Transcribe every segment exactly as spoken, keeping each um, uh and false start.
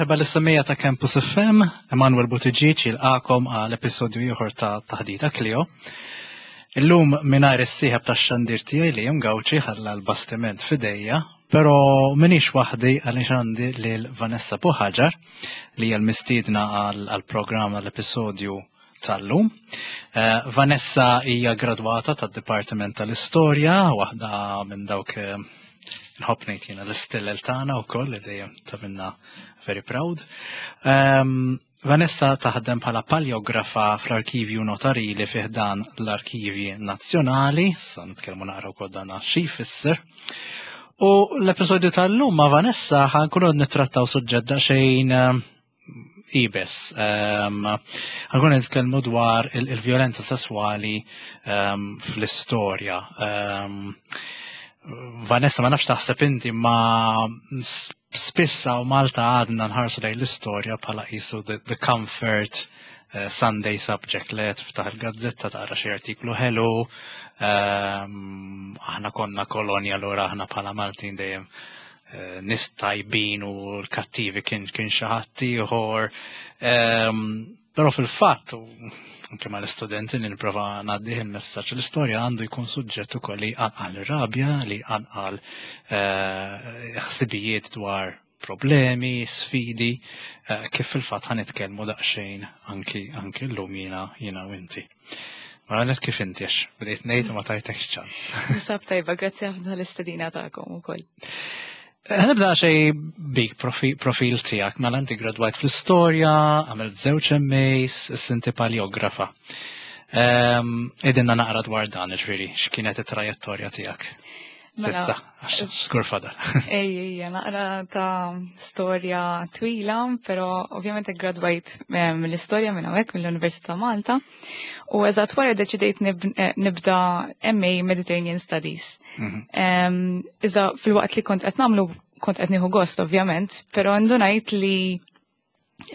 Merħba lis-semmiegħa ta' Campus F M, Emanuel Buttigieg jilqagħkom għal episodju ieħor ta' Taħdita Klio. Illum mingħajr is-sieħeb tax-xandir tiegħi li jem Gawċi, ħalla l-bastiment f'idejja, però minix waħdi għaliex għandi lil Vanessa Buhagiar li hija l-mistiedna għal-programm, għall-episodju tal-lum. Eh, Vanessa hija gradwata tad-Dipartiment tal-Istorja, waħda minn dawk eh, nħobb ngħid jiena l-istillel tagħna wkoll li dejjem tagħmilna very proud. Um, Vanessa taħdem bħala paljografa fl-Arkivju Notarili fi ħdan l-Arkivji Nazzjonali, sa nitkellmu naqra wkoll dan xi jfisser. U l-episodju tal-lum ma' Vanessa ħa nkunu nittrattaw suġġett daqsxejn um, iebes. Um, ħa nkunu nitkellmu dwar il-vjolenza sesswali um, fl-istorja. Um, Vanessa, ma nafx taħseb inti, ma spissa u Malta għadna nħarsu lejn l-istorja bħala qisu the, the comfort uh, Sunday subject li tiftaħ il-gazzetta, taqra xi artiklu ħelu, um, aħna konna kolonja, allura aħna bħala Maltin dejjem uh, nies tajbin u l-kattivi kien kien xi ħadd ieħor. Um, però fil-fatt, anke ma l-istudenti nipprova ngħaddih il-messaġġ, l-istorja għandu jkun suġġett ukoll li jqanqal rabja, li jqanqal eh, ħsibijiet dwar problemi, sfidi, eh, kif fil-fatt ħa nitkellmu daqsxejn anki anki llum jiena jiena u inti. Mela net kif inti, għax bdejt ngħid u ma tajtekx ċans? Ninsab tajba, grazzi ħafna l-istedina tagħkom ukoll. Nibda xej bik profil tiegħek, mela inti gradwajt fl-istorja, għamilt żewġ M As, inti paljografa. Għidilna naqra dwar dan, ġifieri, x'kienet it-trajettorja tiegħek? Mela, S'issa, għax żgur fadal. Ej, ej, naqra ta' storja twila, pero ovvjament gradwajt mill-istorja minn hawnhekk mill-Università Malta. U eżatt wara deċidejt eh, nibda M A Mediterranean Studies. Mhm. Iżda fil-waqt li kont qed nagħmlu kont qed nieħu gost ovvjament, però ndunajt li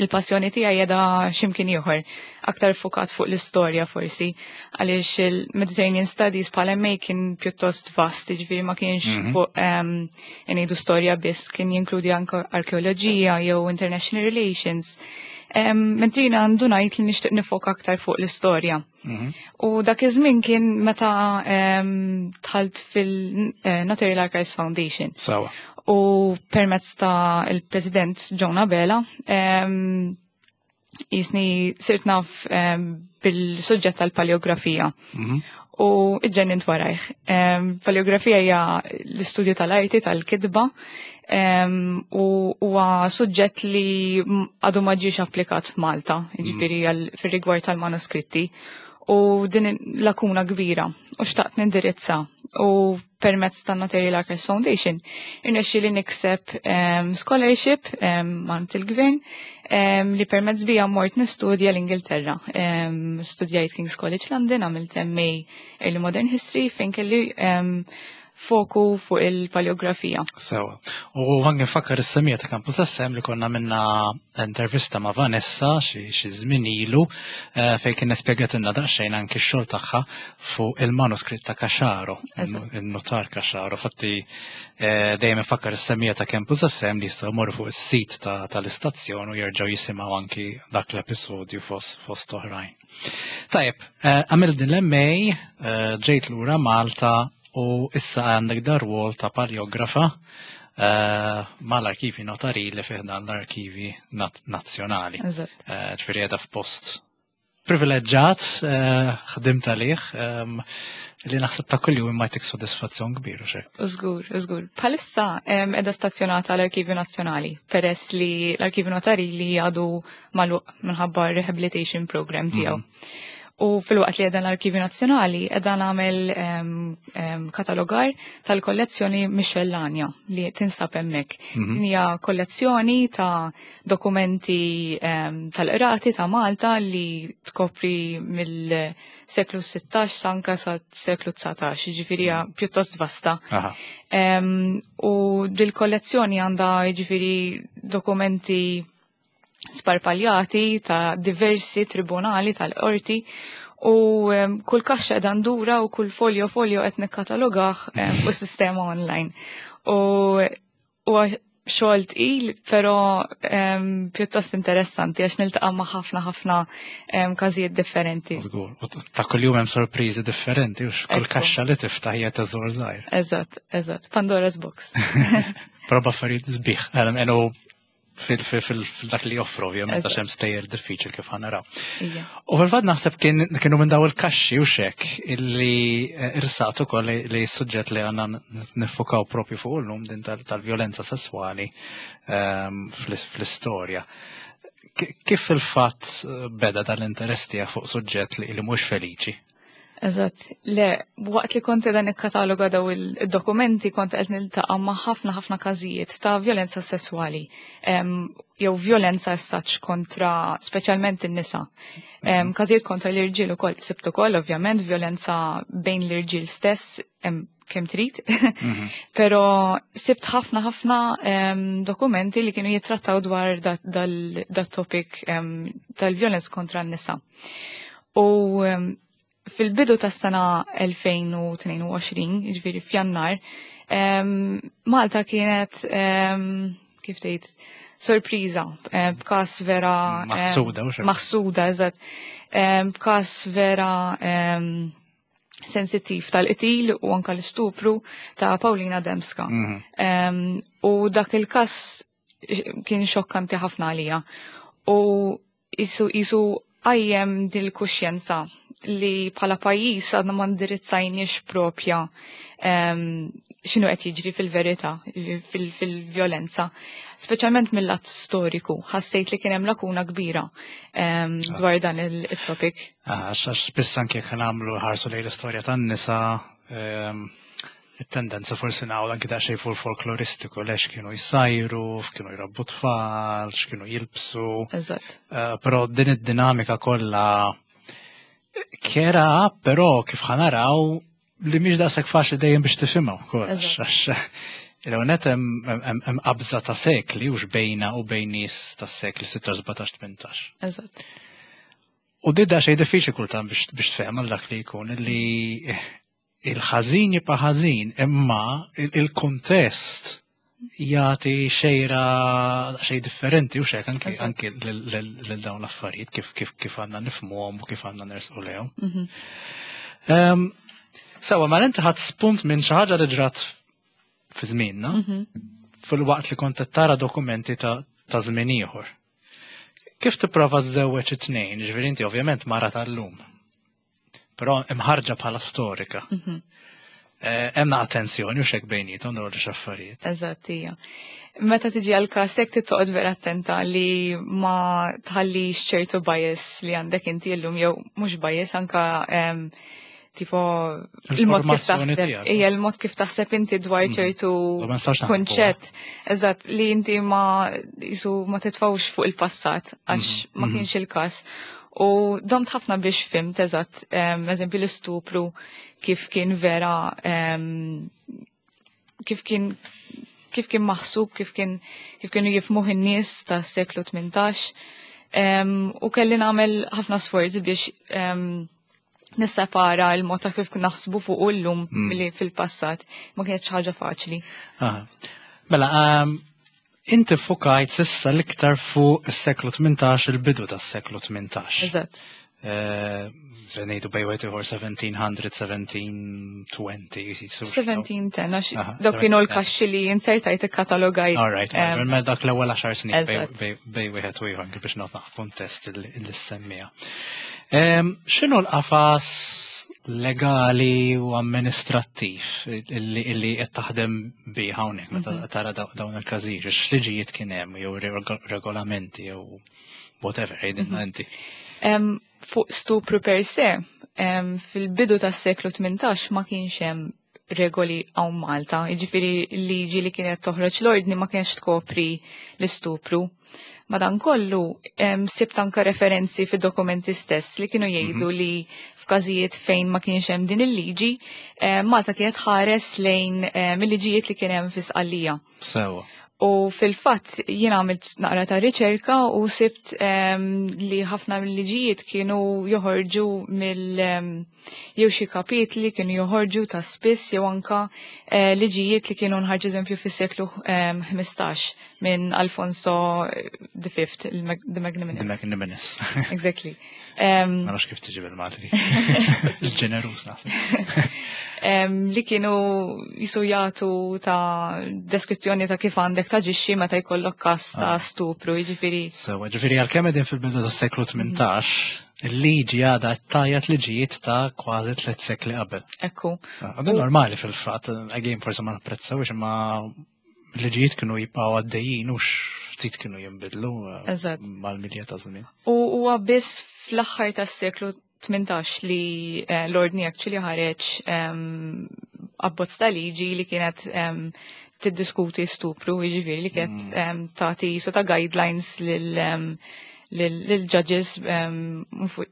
il-passjoni tiegħi qiegħda x'imkien ieħor, aktar fokat fuq l-istorja forsi, għaliex il-Mediterranean Studies bħala M A kien pjuttost vast, ġifieri ma kienx mm -hmm. fuq um, ngħidu storja biss, kien jinkludi anke arkeoloġija jew international relations. Um, Mentri ndunajt li nixtieq nifoka aktar fuq l-istorja. Mm -hmm. U dak iż-żmien kien meta um, dħalt fil-Notarial Archives Foundation. Sawa. U permezz ta' il-President John Abela, um, jisni sirt naf um, bil-suġġett tal-paleografija. Mm -hmm. U iġġennint warajh. Um, paleografija hija l-istudju tal-arti, tal-kitba, um, u huwa suġġett li għadu ma ġiex applikat f'Malta, ġifieri mm -hmm. fir-rigward tal-manuskritti. U din lakuna kbira u xtaqt nindirizza u permezz ta' Notarial Archives Foundation irnexxi li nikseb um, scholarship um, mingħand il-gvern um, li permezz bija mort nistudja l-Ingilterra. Um, studjajt King's College London, għamilt M A Early Modern History fejn kelli um, foku fuq il-paleografija. Sewa. U għan nfakkar is-semmiegħa ta' Campus F M li konna minna intervista ma' Vanessa xi żmien ilu eh, fejn kien spjegatilna daqsxejn anki x-xogħol tagħha fuq il-manuskritt ta' Caxaro, il-notar Caxaro. Fatti eh, dejjem infakkar is-semmiegħa ta' Campus F M li jistgħu jmorru fuq is-sit tal-istazzjon u jerġgħu jisimgħu anki dak l-episodju fost oħrajn. Tajjeb, eh, għamil din l-M A, ġejt lura Malta u issa għandek dar-rwol ta' paljografa uh, mal-Arkivi Notarili fi ħdan l-Arkivi Nazzjonali. Eh, ġifieri qiegħda f'post privileġġat, eh, ħdimt għalih, ehm, li naħseb ta' kuljum imma jtik sodisfazzjon kbir u xek. Żgur, żgur. Bħalissa qiegħda stazzjonata l-Arkivju Nazzjonali, peress li l-Arkivju Notarili għadu magħluq minħabba rehabilitation program tiegħu. Mm. U fil-waqt li qiegħda l-Arkivju Nazzjonali, qiegħda nagħmel katalogar tal-kollezzjoni Miscellania li tinsab hemmhekk. Mm Hija kollezzjoni ta' dokumenti tal-qrati ta' Malta li tkopri mill-seklu sittax anka sa seklu dsatax, ġifieri mm. pjuttost vasta. U dil-kollezzjoni għandha ġifieri dokumenti sparpaljati ta' diversi tribunali tal-qorti u kull kaxxa qiegħda ndura u kull folio folio qed nikkatalogah u sistema online. U Xogħol tqil, però em, pjuttost interessanti għax niltaqa' ma' ħafna ħafna em, każijiet differenti. Żgur. U ta' kuljum hemm sorpriżi differenti u kull Ekku. kaxxa li tiftaħ hija teżor żgħir. Eżatt, eżatt. Pandora's box. Proba affarijiet sbieħ. Enu fil-dak li joffru, ovvjament, għax Eżatt. hemm stejjer diffiċil kif ħa naraw. Ija. U fil-fatt naħseb kien kienu minn daw il-kaxxi u xek illi eh, irsaqt ukoll li, li s-suġġett li għandna niffukaw propju fuq illum din tal- tal-vjolenza sessuali ehm, fl- fl-istorja. Ki- Kif fil-fatt eh, beda dal-interess tiegħek fuq suġġett li, li mhux feliċi? Eżatt. Le, waqt li kont dan ikkataloga daw il-dokumenti kont qed niltaqa' ma' ħafna ħafna każijiet ta' vjolenza sessuali. Em, jew vjolenza as such kontra speċjalment in-nisa. Em, Każijiet kontra l-irġiel ukoll sibt ukoll ovvjament vjolenza bejn l-irġiel stess em, kemm trid. Però sibt ħafna ħafna em, dokumenti li kienu jittrattaw dwar dat topic em, tal-vjolenza kontra n-nisa. U em, fil-bidu tas-sena elfejn u tnejn u għoxrin, jiġifieri f'Jannar, em, Malta kienet, em, kif tgħid, sorpriża, eh, b'każ vera em, Maħsuda, u xek. Maħsuda, eżatt. Em, B'każ vera em, sensittiv tal-qtil u anka l-istupru ta' Paulina Demska. Mhm. Em, u dak il-kas kien xokkanti ħafna għalija. U jisu jisu għajjem dil-kuxjenza li bħala pajjiż għadna ma ndirizzajniex propja em, x'inhu qed jiġri fil-verità, fil- fil-vjolenza. Speċjalment mill-lat storiku, ħassejt li kien hemm lakuna kbira em, dwar dan il-topic. Ah, Għax għax spiss anke jekk nagħmlu ħarsu lejn l-istorja tan-nisa, ehm, it-tendenza forsi nagħmlu anke daqsxejn fuq folkloristiku lex kienu jsajru, kienu jrabbu tfal, x'kienu jilbsu. Eżatt. Eh, Però din id-dinamika kollha kera, però kif ħa naraw li mhix daqshekk faċli dejjem biex tifhimha wkoll. Eżatt. Għax il-għonet hemm qabża ta' sekli u xbejna u bejn nies tas-sekli sittax, sbatax, tmintax. Eżatt. U di xej diffiċli kultant biex biex tfhem għal dak li jkun li il-ħażin jibqa' ħażin, imma il- il-kuntest jagħti xejra xej differenti u xek anki Eżatt. anki lil lil dawn l-affarijiet kif kif kif għandna nifhmuhom u kif għandna nersqu lejhom. Mhm. Ehm, Sewa, ma inti ħadd spunt minn xi ħaġa li ġrat fi żmienna, Mhm. fil-waqt li kont qed tara dokumenti ta' ta' żmien ieħor. Kif tipprova żżewweġ it-tnejn, ġifieri inti ovvjament mara tal-lum. Però imħarġa bħala storika. Mhm. Eh, Hemm attenzjoni u xek bejnietom dawn l-affarijiet. Eżatt, hija. Meta tiġi għal każ hekk trid toqgħod vera attenta li ma tħallix ċertu bias li għandek inti llum jew mhux bias anka em, tipo il-mod kif Il-formazzjoni taħseb, tiegħek. hija l-mod kif taħseb inti dwar Mhm. ċertu Ma nistax naħarbu. kunċett. Eżatt, li inti ma jisu ma titfawx fuq il-passat għax ma Mhm. kienx il-każ. U domt ħafna biex fimt, eżatt, em, eżempju l-istupru kif kien vera em, kif kien kif kien maħsub, kif kien kif kienu jifmuh in-nies tas-seklu tmintax. Em, u kelli nagħmel ħafna sforzi biex em, nissepara il-mod ta' kif naħsbu fuq illum Mm. milli fil-passat. Ma kienx ħaġa faċli. Aha. Mela, um, inti fukajt sissa l-iktar fuq is-seklu tmintax, il-bidu tas-seklu tmintax. Eżatt. Eh, ngħidu bej wieħed ieħor seventeen hundred, seventeen twenty. so- seventeen ten, għax Aha, dawk kienu seventeen ten. l-kaxxi li insertajt ikkatalogajt. All right, em, mela dak l-ewwel għaxar snin bej- Eżatt. bej bej wieħed u ieħor anke biex nagħtu kuntest li semmija. Em, X'inhu l-qafas legali u amministrattiv illi illi qed taħdem bih hawnhekk meta Mhm. tara daw- dawn il-każijiet, x'liġijiet kien hemm jew reg- regolamenti jew whatever, għidilna inti. Em, fuq stupru per se, em, fil-bidu tas seklu tmintax ma kienx hemm regoli hawn Malta, jiġifieri l-liġi li kienet toħroġ l-ordni ma kienx tkopri l-istupru. Madankollu, em, sibt anka referenzi fid-dokumenti stess li kienu jgħidu li f'każijiet fejn ma kienx hemm din il-liġi, em, Malta kienet ħares lejn em, il-liġijiet li kien hemm fi Sqallija. Sewa. U fil-fatt jien għamilt naqra ta' riċerka u sibt em, li ħafna mill-liġijiet kienu joħorġu mill em, jew xi kapitli kienu joħorġu ta' spiss jew anka eh, liġijiet li kienu nħarġu eżempju fis-seklu em, ħmistax minn Alfonso the Fifth, il-Mag- the Magnanimous. The Magnanimous. Exactly. Em, Ma nafx kif tiġi bil-Malti. Il-ġenerus naħseb. em, li kienu jisu jagħtu ta' deskrizzjoni ta' kif għandek taġixxi meta jkollok każ ta' Ah. stupru, jiġifieri. Sewa, ġifieri għalkemm qegħdin fil-bidu tas-seklu tmintax, il-liġi għadha tgħajjat liġijiet ta' kważi tliet sekli qabel. Ekku. Għadu normali fil-fatt, again forsi ma napprezzawx, imma liġijiet kienu jibqgħu għaddejjin u ftit kienu jinbidlu eh, Eżatt. mal-milja ta' żmien. U huwa biss fl-aħħar tas-seklu tmintax li eh, l-ordni actually ħareġ em, abbozz ta' liġi li kienet em, tiddiskuti stupru, jiġifieri li kienet em, tagħti so ta' guidelines lil em, lil lil judges em, fuq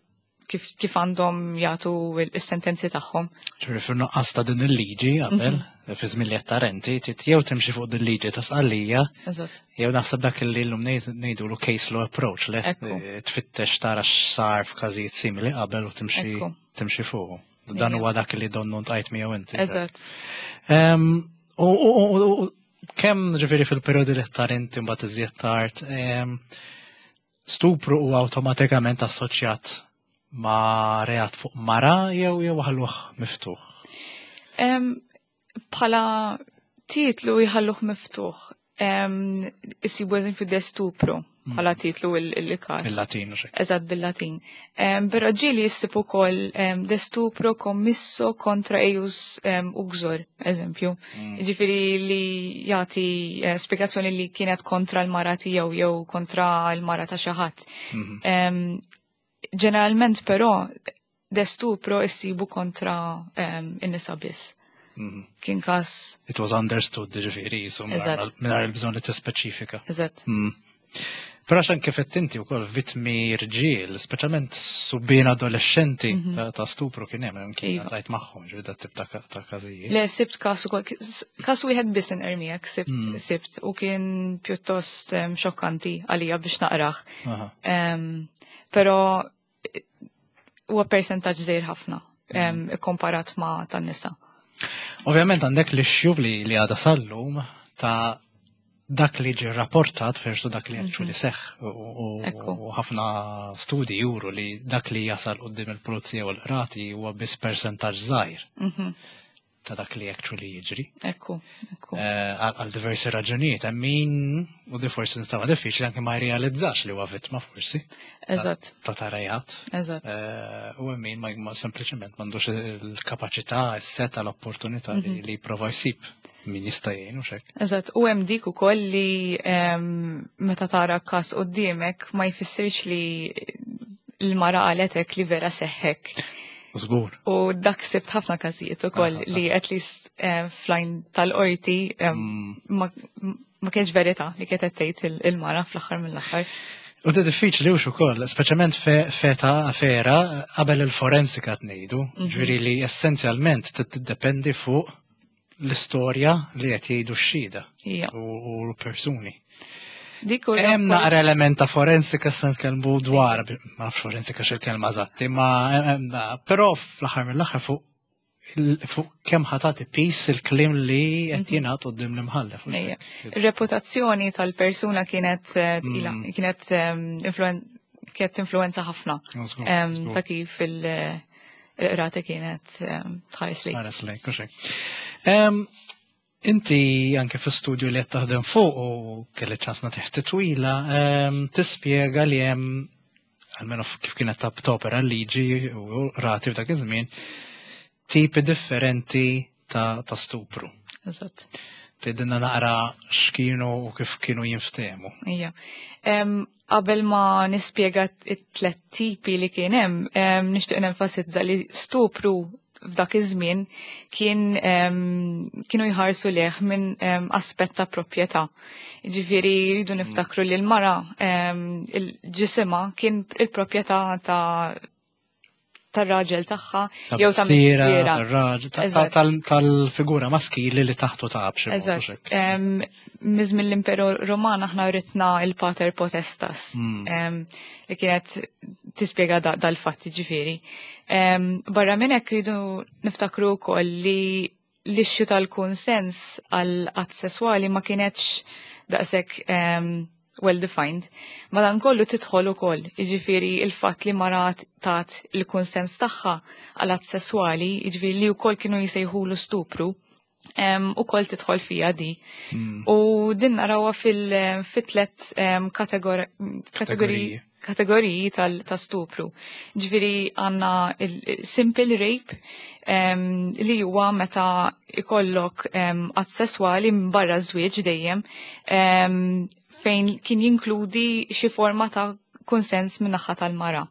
kif, kif għandhom jagħtu il-sentenzi tagħhom. Ġifieri fil-nuqqas ta' din il-liġi qabel, fi żmien li qed tarenti, trid jew timxi fuq din il-liġi ta' Sqallija, Eżatt. jew naħseb dak li llum ngħidulu case law approach, le Ekku. Eh, tfittex tara x'sar f'każijiet simili qabel u timxi Ekku. timxi fuq. Dan Ejja. huwa dak li donnu ltqajt miegħu inti. Eżatt. Em, U u- u- u kemm ġifieri fil-perjodi li tar inti mbagħad iżjed tard, em, stupru huwa awtomatikament assoċjat ma' reat fuq mara jew jew ħalluh miftuħ. Em, Bħala titlu jħalluh miftuħ. Em, Isibu eżempju de stupro bħala titlu il- il-każ. Il-Latin u xek. Eżatt, bil-Latin. Um, Però ġieli issib ukoll um, de stupro commisso contra eius um, uxor, eżempju. Ġifieri li jagħti eh, spiegazzjoni li kienet kontra l-mara tiegħu jew kontra l-mara ta' xi ħadd. Mhm. Um, ġeneralment però de stupro issibu kontra um, in-nisa biss. Mhm. Kien każ, It was understood, ġifieri, jisu Eżatt. mingħajr il-bżonn li tispeċifika. Eżatt. Mm. Però xan kif qed inti wkoll vittmi rġiel, speċjalment subien adolescenti ta' ta' stupru kien hemm kien Iva. tajt magħhom, ġifieri dat tip ta' ka- ta' każijiet. Le, sibt każ ukoll, każ wieħed biss inqermijek, sibt, Mm. sibt u kien pjuttost um, xokkanti għalija biex naqrah. Aha. Um, pero eh, huwa percentaġġ żgħir ħafna um, komparat ma' tan-nisa. Ovvjament għandek l-issue li li għada sal-lum ta' dak li ġi rapportat versu dak li actually seħ u u- Ekku. u ħafna studi juru li dak li jasal quddiem il-pulizija u l-qrati huwa biss percentaġġ żgħir Mhm. ta' dak li actually jiġri. Ekku, ekku. Eh, Għal għal diversi raġunijiet, hemm min u di forsi nistama diffiċli anke ma jrealizzax li huwa vittma forsi Eżatt, ta' ta' reat. eżatt. Eh, U hemm min ma ma sempliċement m'għandux il-kapaċità, is-seta, l-opportunità li li jipprova jsib min jista' jgħin u xek. Eżatt, u hemm dik ukoll li em, meta tara każ quddiemek ma jfissirx li l-mara qaletek li vera seħħek. Żgur. U dak sibt ħafna każijiet ukoll Aha, li at least eh, fl-għajn tal-qorti em, Mm. ma ma kienx verità li kienet qed tgħid il- il-mara fl-aħħar mill-aħħar. U di diffiċli u ukoll, speċjalment fe- feta fera qabel il-forensika tnejdu, ġifieri li essenzjalment tiddependi fuq l-istorja li qed jgħidu x-xhieda Ija. u u l-persuni. Dik u Hemm naqra element ta' forensika se nitkellmu dwar, ma nafx forensika x'il-kelma eżatti, ma hemm na- però fl-aħħar mill-aħħar fuq il- fuq kemm ħa tagħti piż il-kliem li qed jingħad quddiem l-imħallef. u Ejja. xek. Ir-reputazzjoni tal-persuna kienet eh, tqila, Mm. kienet em, influen- kienet influenza ħafna Żgur, em, żgur. ta' kif il-qrati kienet em, tħares li. Ħares lejk, u xek. Em, Inti anke fi studju li qed taħdem fuq u kelli ċans nagħtih twila, em, tispjega li hemm almenu kif kienet ta' topera l-liġi u rati f'dak iż-żmien, tipi differenti ta', ta' stupru. Eżatt. Tgħidilna naqra x'kienu u kif kienu jinftehmu. Ija. Em, Qabel ma nispjega it-tlet tipi li kien hemm, em, nixtieq nenfasizza li stupru f'dak iż-żmien kien em, kienu jħarsu leh minn em, aspett ta' proprjetà. Ġifieri jridu niftakru li l-mara em, il-ġisima kien il-proprjetà ta' tar-raġel tagħha jew ta' missierha. Tal-figura maskili li taħtu ta' b'xi. Eżatt. Miż-żmien l-Imperu Roman aħna writna il-pater potestas hmm. li kienet tispjega dal-fatti, ġifieri. Barra minn hekk, rridu niftakru wkoll li l-issue tal-konsens għal att sesswali ma kienetx daqshekk well defined. Madankollu tidħol ukoll, jiġifieri il-fatt li mara tat il-konsens tagħha għal att sesswali, jiġifieri li wkoll kienu jsejħulu stupru, ukoll tidħol fija di. Hmm. U din narawha fil-tlet kategoriji kategoriji tal-stupru. Ġifieri għandna il-simple rape, li huwa meta ikollok att sesswali barra żwieġ dejjem, fejn kien jinkludi xi forma ta' konsens minn naħa tal-mara.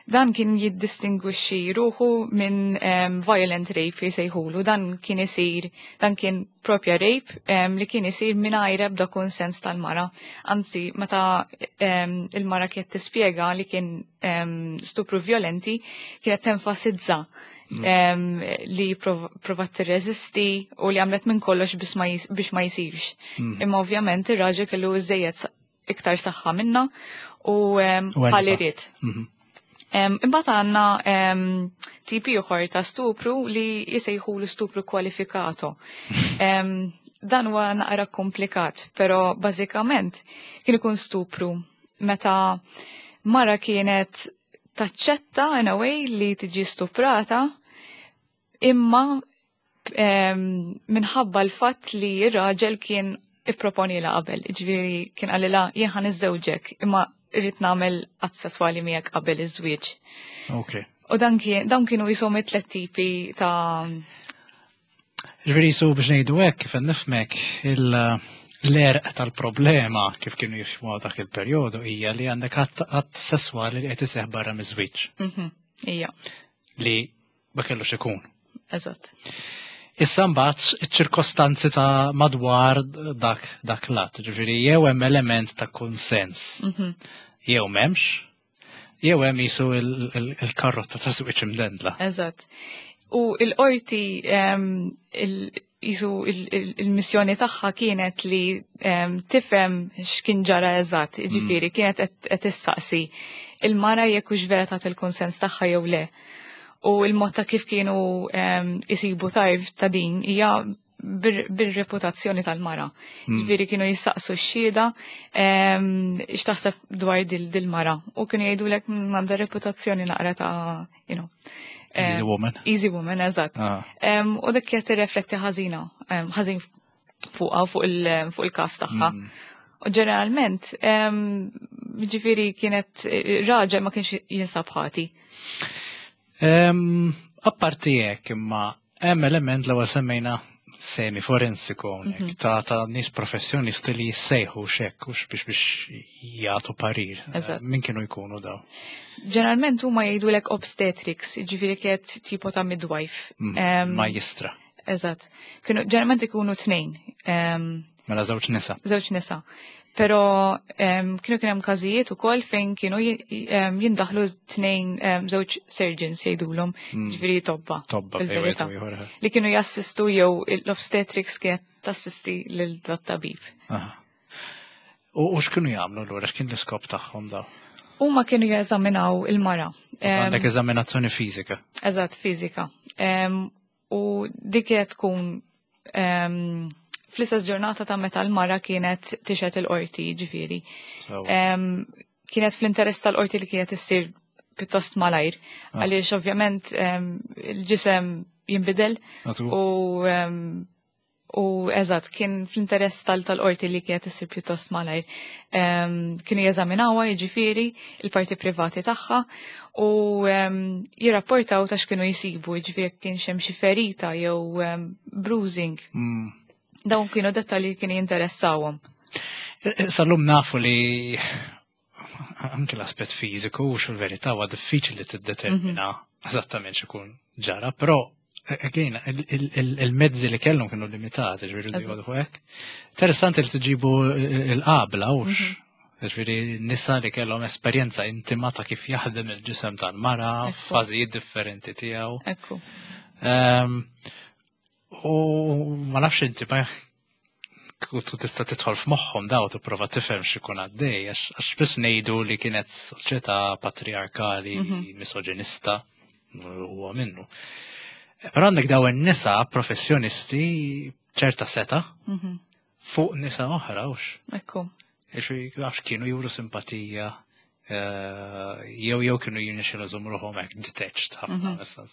Dan kien jiddistingwixxi ruħu minn um, violent rape jsejħulu. Dan kien isir, dan kien propja rape um, li kien isir mingħajr ebda konsens tal-mara. Anzi, meta um, il-mara kienet tispjega li kien um, stupru violenti, kienet tenfasizza um, li provat tirreżisti u li għamlet minn kollox biex ma jisirx. Mm. Imma ovvjament ir-raġel kellu iżejjed iktar saħħa minna u ħalli ried. Mhm. Imbagħad għandna tipi oħor ta' stupru li jisejħu l-stupru kwalifikato. Dan huwa naqra komplikat, però bażikament kien ikun stupru meta mara kienet taċċetta in a way li tiġi stuprata, imma minħabba l-fatt li r-raġel kien ipproponila qabel, ġifieri kien qalilha, "Jien ħa niżżewġek, imma irrid nagħmel att sesswali miegħek qabel iż-żwieġ." Ok. U dan kien dawn kienu jisom it-tlet tipi ta' Ġifieri su biex ngħidu hekk, kif nifhmek, l-għerq tal-problema kif kienu jifhmu dak il-perjodu hija li għandek att sesswali li qed iseħħ barra miż-żwieġ. Mhm, ija. Li ma kellux ikun. Eżatt. Issa mbagħad iċ-ċirkostanzi ta' madwar dak dak l-att, ġifieri jew hemm element ta' konsens, mhm. jew m'hemmx, jew hemm jisu il-karrotta ta' żwieġ imdendla. Eżatt. U il-qorti jisu il-missjoni tagħha kienet li tifhem x'kien ġara eżatt, mm. ġifieri kienet qed issaqsi il-mara jekk hux vera tat il-konsens tagħha jew le. U il-mod ta' kif kienu isibu tarf ta' din hija bir-reputazzjoni tal-mara. Hmm. Ġifieri kienu jissaqsu x-xhieda x'taħseb dwar dil-mara u kienu jgħidulek, mm, għandha reputazzjoni naqra ta' you know, Easy woman. Easy woman, eżatt. Ah. U dik kienet tirrefletti ħażina, ħażin fuqha, fuq il-każ tagħha. Hmm. U ġeneralment, ġifieri kienet raġel ma kienx jinsab ħati. Apparti hekk, imma hemm element l semmejna semi forensiku hawnhekk mhm. ta' ta' nies professjonisti li jissejħu xek ux biex biex jagħtu parir. Min kienu jkunu daw? Ġeneralment huma jgħidulek obstetrics, ġifieri kienet tipo ta' midwife. Mm, majjistra. Eżatt. Kienu ġeneralment ikunu tnejn. Mela żewġ nisa. Żewġ nisa. Pero kienu kien hemm każijiet ukoll fejn kienu jindaħlu tnejn, żewġ surgeons jgħidulhom, mm. ġifieri tobba. Tobba. Li kienu jassistu jew l-obstetrics kienet tassisti lil tabib. U x'kienu jagħmlu lura, x'kien l-iskop tagħhom daw? Huma kienu jeżaminaw il-mara. Għandek eżaminazzjoni fiżika. Eżatt, fiżika. U dik kienet tkun fl-istess ġurnata ta' meta l-mara kienet tixhed il-qorti, ġifieri. Kienet fl-interess tal-qorti li kienet issir pjuttost malajr, ah. għaliex ovvjament il-ġisem jinbidel u u eżatt, kien fl-interess tal-qorti li kienet issir pjuttost malajr. Kienu jeżaminawha, jiġifieri il-parti privati tagħha, u jirrapportaw ta' x'kienu jsibu, jiġifieri kien hemm xi ferita jew bruising. Mm. Dawn kienu dettalji li kienu jinteressawhom. E, e, sal-lum nafu li anke l-aspett fiżiku u fil-verità huwa diffiċli tiddetermina mhm. eżattament x'ikun ġara, però again, il-mezzi li kellhom kienu limitati, ġifieri li jgħodu hekk. Interessanti li tġibu il-qabla, ux. Mhm. Ġifieri nisa li kellhom esperjenza intima ta' kif jaħdem il-ġisem tal-mara, Ekku. fażijiet differenti tiegħu. Ekku. Ehm, U ma nafx inti ma tu tista' tidħol f'moħħhom daw tipprova tifhem x'ikun għaddej, għax għax biss ngħidu li kienet soċjetà patriarkali, Mhm. misoġinista, huwa minnu. Però għandek daw in-nisa professjonisti ċerta seta Mhm. fuq nisa oħra, hux. Ekku. Ġifieri għax kienu juru simpatija, eh, jew jew kienu jirnexxielu jżommu ruħhom hekk detached ħafna. Mhm. issa.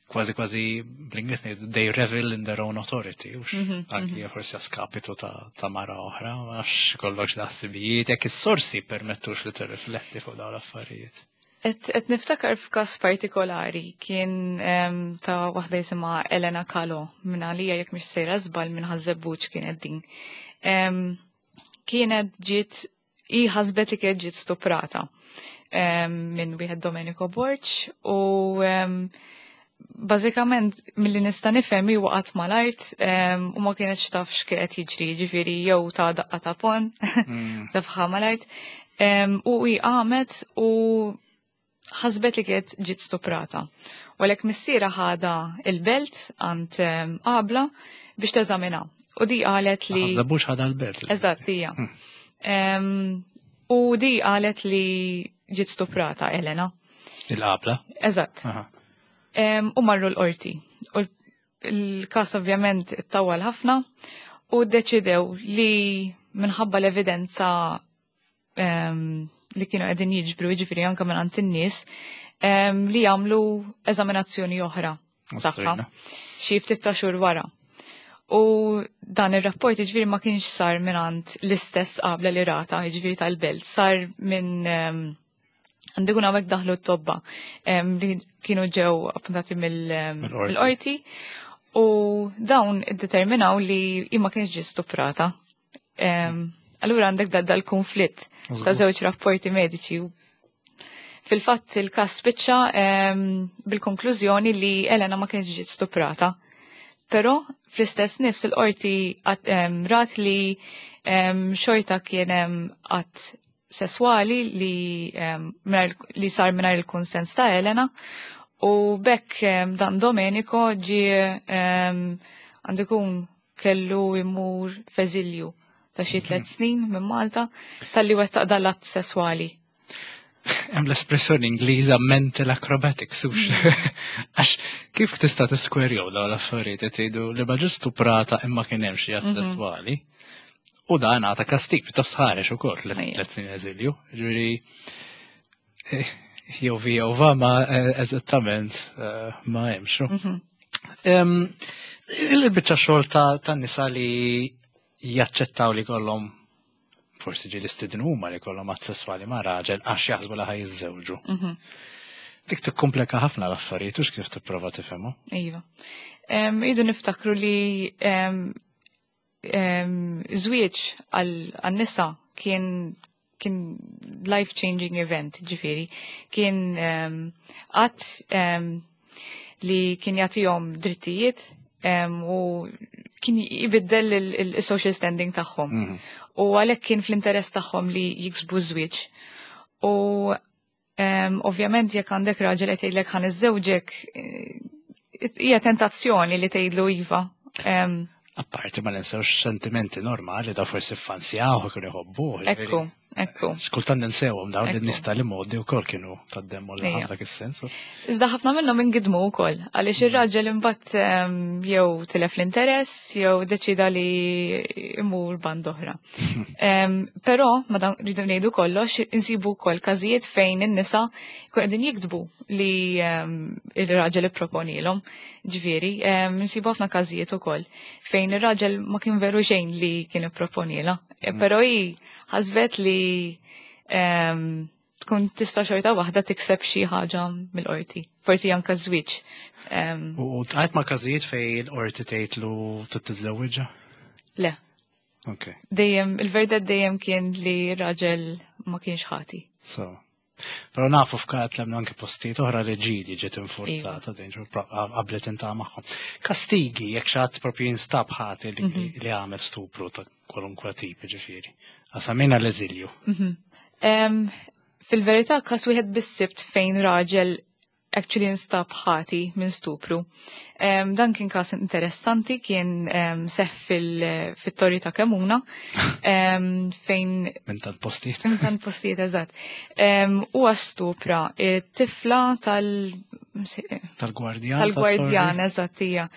Kważi kważi bl-Ingliż ngħidu they revel in their own authority, hux Mhm, anki mhm. forsi a skapitu ta' ta' mara oħra, ma nafx kollokx ħsibijiet, jekk is-sorsi permettux li tirrifletti fuq dawn l-affarijiet. Et, et niftakar f'kas partikolari kien em, ta' waħda jisimha Elena Kalo minn għalija jekk mhix sejra żball minn Ħaż-Żebbuġ kienet din. Em, kienet ġiet i ħasbet li kienet ġiet stuprata em, minn wieħed Domenico Borg u em, bażikament milli nista' nifhem hi waqgħet mal-art em, u ma kienx taf x'kienet jiġri, ġifieri jew ta' daqqa ta' ponn Mm. tefħa mal-art. Em, U hi qamet u ħasbet li kienet ġiet stuprata. U għalhekk missiera ħadha il-Belt għand em, qabla biex teżamina. U di qalet li. Ħaż-Żebbuġ ħadha l-Belt. Eżatt, hija. Hmm. Em, U di qalet li ġiet stuprata Elena. Il-qabla. Eżatt. Aha. Em, U marru l-qorti. U l- il-kas ovvjament ittawal ħafna u deċidew li minħabba l-evidenza em, li kienu qegħdin jiġbru, jiġifieri anke minn għand in-nies, em, li jagħmlu eżaminazzjoni oħra tagħha Ostrina. xi ftit ta' xhur wara. U dan ir-rapport jiġifieri ma kienx sar minn għand l-istess qabla li rata, jiġifieri tal-Belt, sar minn em, għandu jkun hawnhekk daħlu t-tobba em, li kienu ġew appuntati mill- em, Mill-qorti. mill-qorti u dawn iddeterminaw li hi ma kienx ġiet stuprata. Em, Allura għandek da dal-konflitt ta' żewġ rapporti mediċi. Fil-fatt il-kas spiċċa em, bil-konklużjoni li Elena ma kienx ġiet stuprata. Però fl-istess nifs il-qorti għat- em, rat li em, xorta kien hemm att sesswali li, em, mingħajr- li sar mingħajr il-konsens ta' Elena u bekk em, dan Domenico ġie em, għandu jkun kellu imur f'eżilju ta' xi tliet snin minn Malta talli wettaq dal-att sesswali. Hemm l-espressjoni Ingliża mental acrobatics, hux. Għax kif tista' tiskwerjaw dawn l-affarijiet qed tgħidu li ma ġiet stuprata imma kien hemm xi att Mhm. sesswali. U dan għata kastig pjuttost ħarex ukoll Ejja. tliet snin eżilju. Ġifieri eh, jew vi jew va ma eh, eżattament eh, ma hemmx. Mhm. Em, Il-biċċa xogħol ta' ta' nisa li jaċċettaw li kollhom forsi ġieli stidnu huma li kollhom att sesswali ma' raġel għax jaħsbu li ħa jiżżewġu. Mhm. Dik tikkomplika ħafna l-affarijiet u kif tipprova tifhemu. Iva. Em, Idu niftakru li em, em, żwieġ għal-nisa kien kien life-changing event, ġifieri. Kien em, att em, li kien jagħtihom drittijiet em, u kien jibiddel il-social standing tagħhom. Mhm. U għalhekk kien fl-interess tagħhom li jiksbu żwieġ. U em, ovvjament jekk għandek raġel qed jgħidlek ħa niżżewġek, eh, hija tentazzjoni li tgħidlu iva. Em, Apparti ma ninsewx sentimenti normali da forsi fansjaw kienu jħobbu. Ekku, ekku. Xkultant ninsewhom dawn Ekku. in-nies tal-imgħoddi wkoll kienu tad-demmu l Ejja. dak is-sens. Iżda ħafna minnhom ingidmu wkoll għaliex ir-raġel imbagħad em, jew tilef l-interess jew deċida li imur band oħra. Em, Però madan rridu ngħidu kollox, insibu wkoll każijiet fejn in-nisa jkun qegħdin jiktbu li em, ir-raġel ipproponilhom. Ġifieri, em, insibu ħafna każijiet ukoll fejn ir-raġel ma kien veru xejn li kien ipproponilha. E, Però hi ħasbet li em, tkun tista' xorta waħda tikseb xi ħaġa mill-qorti. Forsi anke żwieġ. Em, U tqajt ma' każijiet fejn il-qorti tgħidlu trid tiżżewwiġha? Le, Ok. dejjem il-verdett dejjem kien li raġel ma kienx ħati. So, Però nafu f'kat lemnu anke postijiet oħra li ġieli ġiet infurzata din qablet inta magħhom. Kastigi jekk xi ħadd propju jinstab ħati li mhm. li għamel stupru ta' kwalunkwe tip ġifieri. Għasamina l-eżilju. Mhm. Fil-verità każ wieħed bis-sibt fejn raġel actually instab ħati minn stupru. Um, dan kien każ interessanti, kien um, seħ fil-torri ta' Kemuna, um, fejn... Minn tant postijiet. Minn tant postijiet, eżatt. Um, Huwa stupra tifla tal... Tal-gwardjan. Tal-gwardjan, eżatt, hija.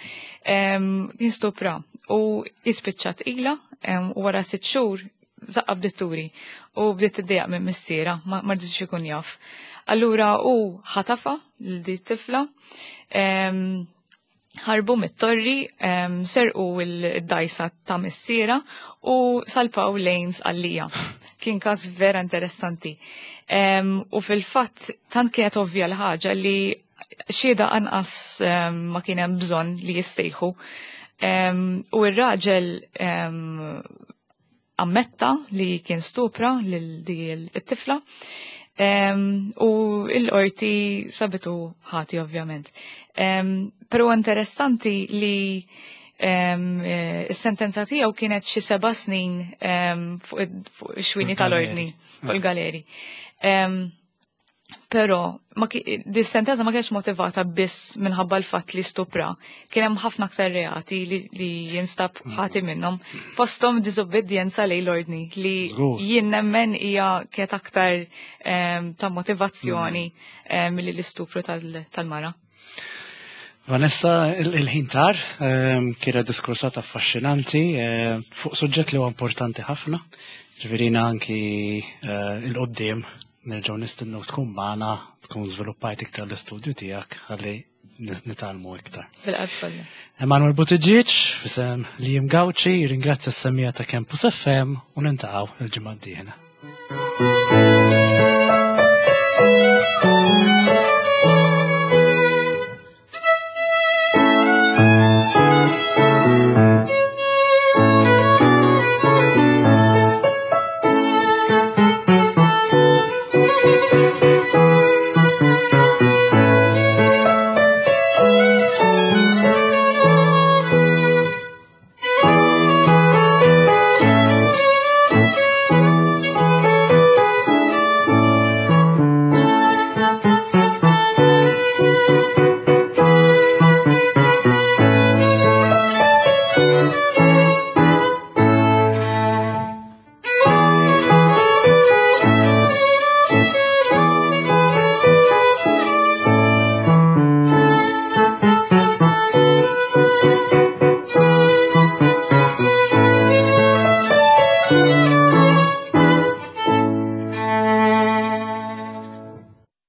Um, kien stupra u jispiċċat ila um, u wara sitt xhur zaqqa bdiet turi u bdiet tiddejjaq minn missiera, ma rridx ikun jaf. Allura u ħatafa lil di tifla, ħarbu mit-torri, serqu il-dajsa ta' missiera u salpaw lejn Sqallija. Kien każ vera interessanti. U fil-fatt tant kienet ovvja l-ħaġa li xhieda anqas ma kien hemm bżonn li jissejħu. U r-raġel ammetta li kien stupra lil di it-tifla. U l-qorti sabitu ħati ovvjament. Però interessanti li is-sentenza tiegħu kienet xi seba' snin fuq ix-xwini tal-ordni, fuq il-galeri. Però di sentenza ma kienx motivata biss minħabba l-fatt li stupra. Kien hemm ħafna aktar reati li, li jinstab ħati minnhom. Fosthom diżobbedjenza lejn l-ordni li jien nemmen hija kienet aktar um, ta' motivazzjoni um, milli l-istupru tal-mara. Vanessa, il-ħin tar, um, kienet diskursata affaxxinanti fuq suġġett li huwa importanti ħafna. Ġifieri anki uh, il-qoddim nerġgħu nistennew tkun magħna, tkun żviluppajt iktar l-istudju tiegħek ħalli nitgħallmu iktar. Bil-qalb Emanuel Buttigieg, f'isem Liam Gauci, ringrazzja s-semmiegħa ta' Campus F M u niltaqgħu il-ġimgħa d-dieħla.